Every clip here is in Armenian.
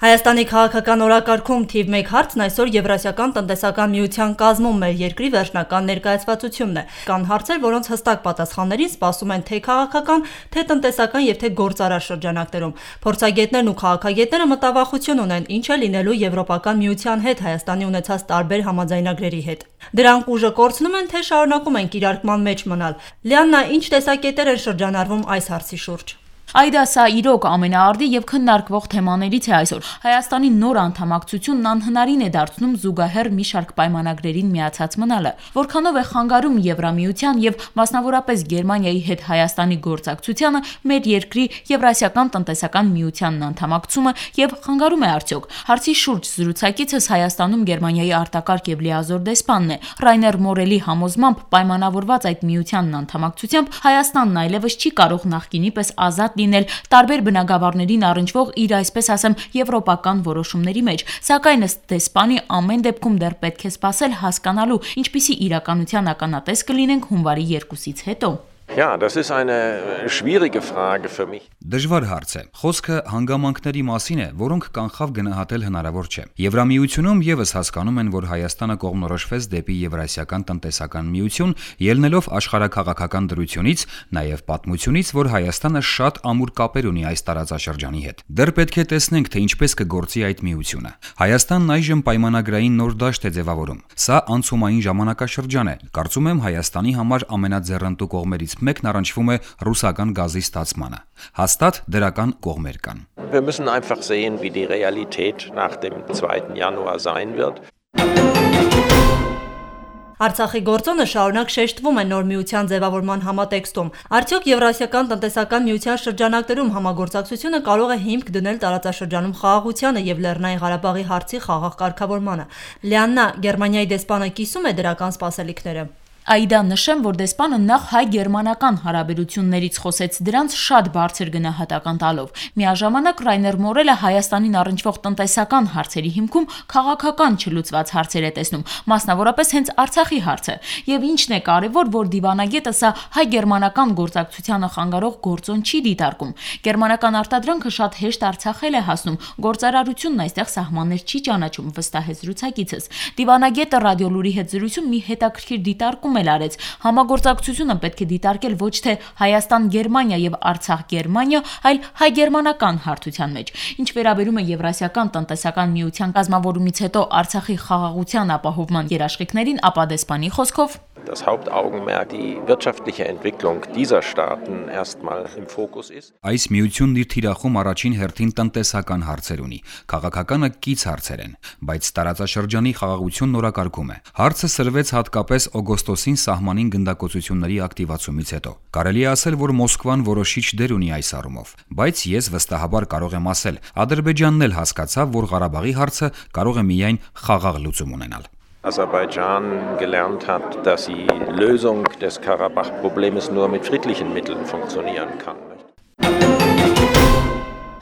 Հայաստանի քաղաքական օրակարգում թիվ 1 հարցն այսօր Եվրասիական տնտեսական միության կազմում մեր երկրի վերջնական ներկայացվածությունն է։ Կան հարցեր, որոնց հստակ պատասխաններին սպասում են թե քաղաքական, թե տնտեսական եւ թե գործարար շրջանակներում։ Փորձագետներն ու քաղաքագետները մտավախություն ունեն ինչ է լինելու Եվրոպական միության հետ Հայաստանի ունեցած տարբեր համաձայնագրերի հետ։ Դրանք ուժը կորցնում են, թե շարունակում են կիրարկման մեջ մնալ։ Լիաննա, ինչ տեսակետեր են շրջանառվում այս հարցի շուրջ։ Այդա սա իրոք ամենաարդի եւ քննարկվող թեմաներից է այսօր։ Հայաստանի նոր անդամակցությունն անհնարին է դարձնում զուգահեռ մի շարք պայմանագրերին միացած մնալը, որքանով է խանգարում Եվրամիության եւ մասնավորապես Գերմանիայի հետ Հայաստանի գործակցությանը մեր երկրի Եվրասիական տնտեսական միությանն անդամակցումը եւ խանգարում է արդյոք։ Հարցի շուրջ զրուցակիցս Հայաստանում Գերմանիայի արտակարգ եւ լիազոր դեսպանն է։ Ռայներ Մորելի համոզմամբ պայմանավորված այդ միությանն անդամակցությամբ Հայաստանն այլևս չի կարող նախկինի պես ազատ լինել տարբեր բնագավառներին առնչվող իր այսպես ասեմ եվրոպական որոշումների մեջ, սակայն ըստ դեսպանի ամեն դեպքում դեռ պետք է սպասել հասկանալու, ինչպիսի իրականության ականատես կլինենք հունվարի 2-ից հետո։ Ja, das ist eine schwierige Frage für mich. Դժվար հարց է։ Խոսքը հանգամանքների մասին է, որոնք կանխավ գնահատել հնարավոր չէ։ Եվրամիությունում եւս հասկանում են, որ Հայաստանը կողմնորոշվեց դեպի Եվրասիական տնտեսական միություն, ելնելով աշխարհաքաղաքական դրությունից, նաեւ պատմությունից, որ Հայաստանը շատ ամուր կապեր ունի այս տարածաշրջանի հետ։ Դեռ պետք է տեսնենք, թե ինչպես կգործի այդ միությունը։ Հայաստանն այժմ պայմանագրային նոր դաշտ է ձևավորում։ Սա անցումային ժամանակաշրջան է։ Կարծում եմ Հայաստանի համար ամենաձեռնտու կողմերից մեկն առնչվում է ռուսական գազի ստացմանը։ Հաստատ դրական կողմեր կան։ Wir müssen einfach sehen, wie die Realität nach dem 2. Januar sein wird. Արցախի գործոնը շարունակ շեշտվում է նոր միության ձևավորման համատեքստում։ Արդյոք Եվրասիական տնտեսական միության շրջանակներում համագործակցությունը կարող է հիմք դնել տարածաշրջանում խաղաղությանը եւ Լեռնային Ղարաբաղի հարցի խաղաղ կարգավորմանը։ Լիաննա, Գերմանիայի դեսպանը կիսում է դրական սպասելիքները։ Այդա նշեմ, որ դեսպանը նախ հայ-գերմանական հարաբերություններից խոսեց դրանց շատ բարձր գնահատական տալով։ Միաժամանակ Ռայներ Մորելը Հայաստանին առնչվող տնտեսական հարցերի հիմքում քաղաքական չլուծված հարցեր է տեսնում, մասնավորապես հենց Արցախի հարցը։ Եվ ինչն է կարևոր, որ դիվանագետը սա հայ-գերմանական գործակցությանը խանգարող գործոն չի դիտարկում։ Գերմանական արտադրանքը շատ հեշտ Արցախել է հասնում, գործարարությունն այստեղ սահմաններ չի ճանաչում, վստահեց զրուցակիցս։ Դիվանագետը ռադիոլուրի հետ զրույցում մի հետաքրքիր դիտարկում արեց։ Համագործակցությունը պետք է դիտարկել ոչ թե Հայաստան-Գերմանիա եւ Արցախ-Գերմանիա, այլ հայ-գերմանական հարթության մեջ։ Ինչ վերաբերում է Եվրասիական տնտեսական միության կազմավորումից հետո Արցախի խաղաղության ապահովման երաշխիքներին, ապա դեսպանի խոսքով Das Hauptaugenmerk die wirtschaftliche Entwicklung dieser Staaten erstmal im Fokus ist. Այս միությունն իր թիրախում առաջին հերթին տնտեսական հարցեր ունի։ Քաղաքականը կից հարցեր են, բայց տարածաշրջանի խաղաղությունն օրակարգում է։ Հարցը սրվեց հատկապես օգոստոսին սահմանին գնդակոծությունների ակտիվացումից հետո։ Կարելի է ասել, որ Մոսկվան որոշիչ դեր ունի այս առումով, բայց ես վստահաբար կարող եմ ասել, Ադրբեջանն էլ հասկացավ, որ Ղարաբաղի հարցը կարող է միայն խաղաղ լուծում ունենալ։ Aserbaidschan gelernt hat, dass die Lösung des Karabach-Problems nur mit friedlichen Mitteln funktionieren kann.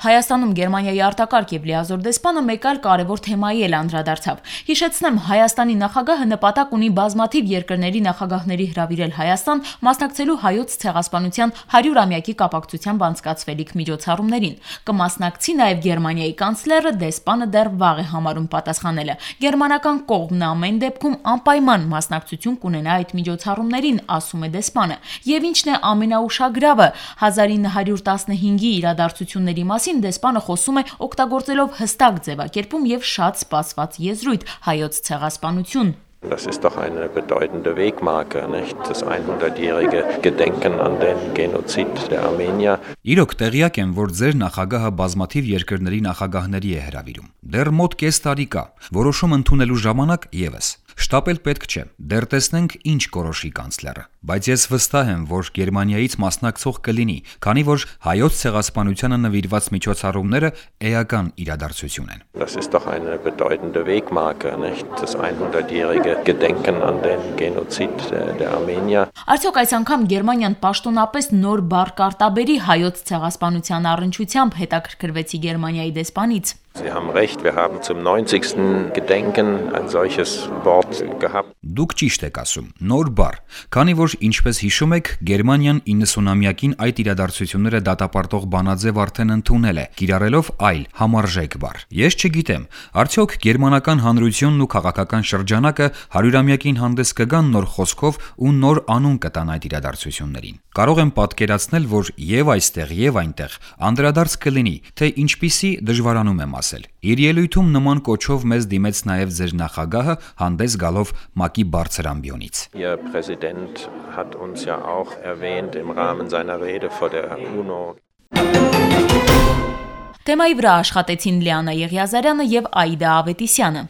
Հայաստանում Գերմանիայի արտակարգ եւ լիազոր դեսպանը մեկ այլ կարևոր թեմայի էլ անդրադարձավ։ Հիշեցնեմ, Հայաստանի նախագահը նպատակ ունի բազմաթիվ երկրների նախագահների հրավիրել Հայաստան, մասնակցելու հայոց ցեղասպանության 100-ամյակի կապակցությամբ անցկացվելիք միջոցառումներին։ Կմասնակցի նաեւ Գերմանիայի կանցլերը, դեսպանը դեռ վաղ է համարում պատասխանելը։ Գերմանական կողմն ամեն դեպքում անպայման մասնակցություն կունենա այդ միջոցառումներին, ասում է դեսպանը։ Եվ ինչն է ամենաուշագրավը, 1915-ի իրադարձությունների մասին դեսպանը խոսում է օգտագործելով հստակ ձևակերպում եւ շատ սպասված եզրույթ հայոց ցեղասպանություն։ Das ist doch eine bedeutende Wegmarke, nicht? Das 100-jährige Gedenken an den Genozid der Armenier. Իրոք տեղյակ եմ, որ ձեր նախագահը բազմաթիվ երկրների նախագահների է հրավիրում։ Դեռ մոտ կես տարի կա։ Որոշում ընդունելու ժամանակ եւս։ Շտապել պետք չէ։ Դեռ տեսնենք ինչ կորոշի կանցլերը։ Բայց ես վստահ եմ, որ Գերմանիայից մասնակցող կլինի, քանի որ հայոց ցեղասպանությանը նվիրված միջոցառումները էական իրադարձություն են։ Das ist doch eine bedeutende Wegmarke, nicht? Das 100-jährige Gedenken an den Genozid der Armenier. Արդյոք այս անգամ Գերմանիան պաշտոնապես նոր բառ կարտաբերի հայոց ցեղասպանության առնչությամբ հետաքրքրվեցի Գերմանիայի դեսպանից։ Sie haben recht, wir haben zum 90. Gedenken ein solches Wort gehabt. Դուք ճիշտ եք ասում, նոր բառ, քանի որ ինչպես հիշում եք, Գերմանիան 90-ամյակին այդ իրադարձությունները դատապարտող բանաձև արդեն ընդունել է, կիրառելով այլ համարժեք բառ։ Ես չգիտեմ, արդյոք գերմանական հանրությունն ու քաղաքական շրջանակը 100-ամյակին հանդես կգան նոր խոսքով ու նոր անուն կտան այդ իրադարձություններին։ Կարող եմ պատկերացնել, որ եւ այստեղ եւ այնտեղ անդրադարձ կլինի, թե ինչպիսի դժվարանում եմ ասել։ Իր ելույթում նման կոչով մեզ դիմեց նաեւ ձեր նախագահը հանդես գալով ՄԱԿ-ի բարձր ամբիոնից։ Ihr Präsident hat uns ja auch erwähnt im Rahmen seiner Rede vor der UNO. Թեմայի վրա աշխատեցին Լիանա Եղիազարյանը եւ Աիդա Ավետիսյանը։